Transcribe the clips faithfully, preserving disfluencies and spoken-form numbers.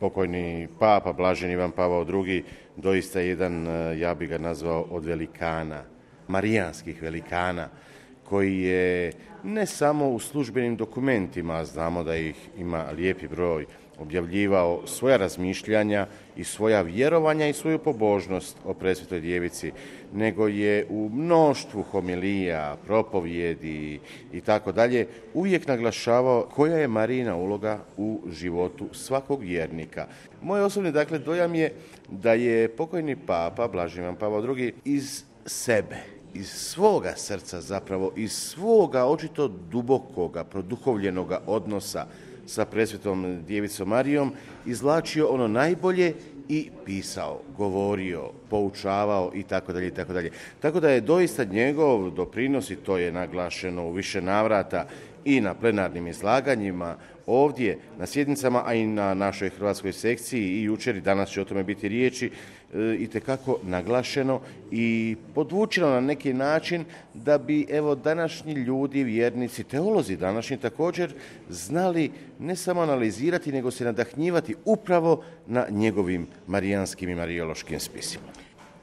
pokojni papa Blaženi Ivan Pavao drugi doista jedan, ja bi ga nazvao, od velikana, marijanskih velikana, koji je ne samo u službenim dokumentima, znamo da ih ima lijepi broj, objavljivao svoja razmišljanja i svoja vjerovanja i svoju pobožnost o presvetoj djevici, nego je u mnoštvu homilija, propovjedi i tako dalje uvijek naglašavao koja je Marijina uloga u životu svakog vjernika. Moj osobni dakle dojam je da je pokojni papa Blaženi Ivan Pavao drugi iz sebe, iz svoga srca zapravo, iz svoga očito dubokoga, produhovljenoga odnosa sa presvetom djevicom Marijom izvlačio ono najbolje i pisao, govorio, poučavao i tako dalje i tako dalje. Tako da je doista njegov doprinos, i to je naglašeno u više navrata i na plenarnim izlaganjima, ovdje na sjednicama, a i na našoj hrvatskoj sekciji i jučer i danas će o tome biti riječi, itekako naglašeno i podvučeno na neki način da bi evo današnji ljudi, vjernici, teolozi današnji također znali ne samo analizirati, nego se nadahnjivati upravo na njegovim marijanskim i marijološkim spisima.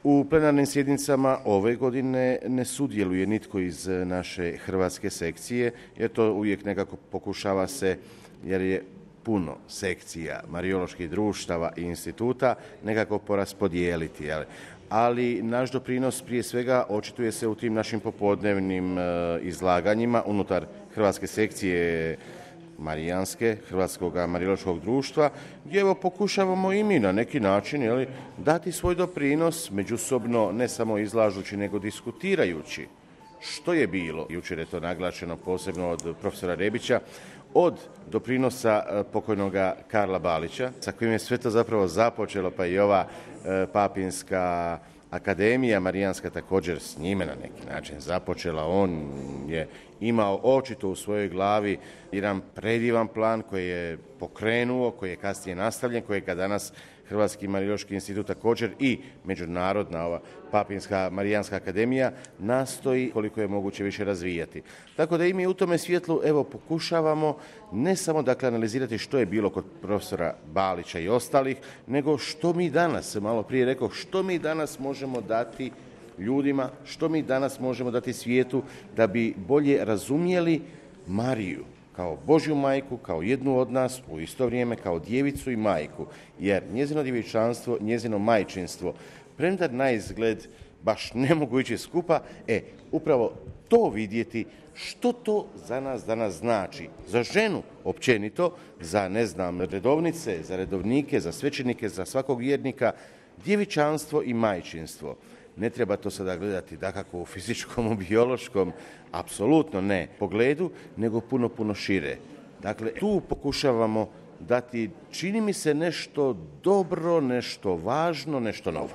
U plenarnim sjednicama ove godine ne sudjeluje nitko iz naše hrvatske sekcije, jer to uvijek nekako pokušava se, jer je puno sekcija, marijoloških društava i instituta, nekako poraspodijeliti. Jel? Ali naš doprinos prije svega očituje se u tim našim popodnevnim e, izlaganjima unutar hrvatske sekcije marijanske, Hrvatskog marijološkog društva, gdje evo pokušavamo i mi na neki način jel, dati svoj doprinos, međusobno ne samo izlažući, nego diskutirajući što je bilo, jučer je to naglašeno posebno od profesora Rebića, od doprinosa pokojnoga Karla Balića, sa kojim je sve to zapravo započelo, pa i ova e, papinska akademija marijanska također s njime na neki način započela. On je imao očito u svojoj glavi jedan predivan plan koji je pokrenuo, koji je kasnije nastavljen, kojega danas Hrvatski marijološki institut također i međunarodna ova Papinska marijanska akademija nastoji koliko je moguće više razvijati. Tako da i mi u tome svjetlu evo pokušavamo ne samo dakle analizirati što je bilo kod profesora Balića i ostalih, nego što mi danas, malo prije rekao, što mi danas možemo dati ljudima, što mi danas možemo dati svijetu da bi bolje razumjeli Mariju kao Božju majku, kao jednu od nas, u isto vrijeme kao djevicu i majku, jer njezino djevičanstvo, njezino majčinstvo, premda na izgled baš ne mogu ići skupa, e, upravo to vidjeti što to za nas danas znači, za ženu općenito, za, ne znam, redovnice, za redovnike, za svećenike, za svakog vjernika, djevičanstvo i majčinstvo. Ne treba to sada gledati dakako u fizičkom, u biološkom, apsolutno ne pogledu, nego puno, puno šire. Dakle, tu pokušavamo dati, čini mi se, nešto dobro, nešto važno, nešto novo.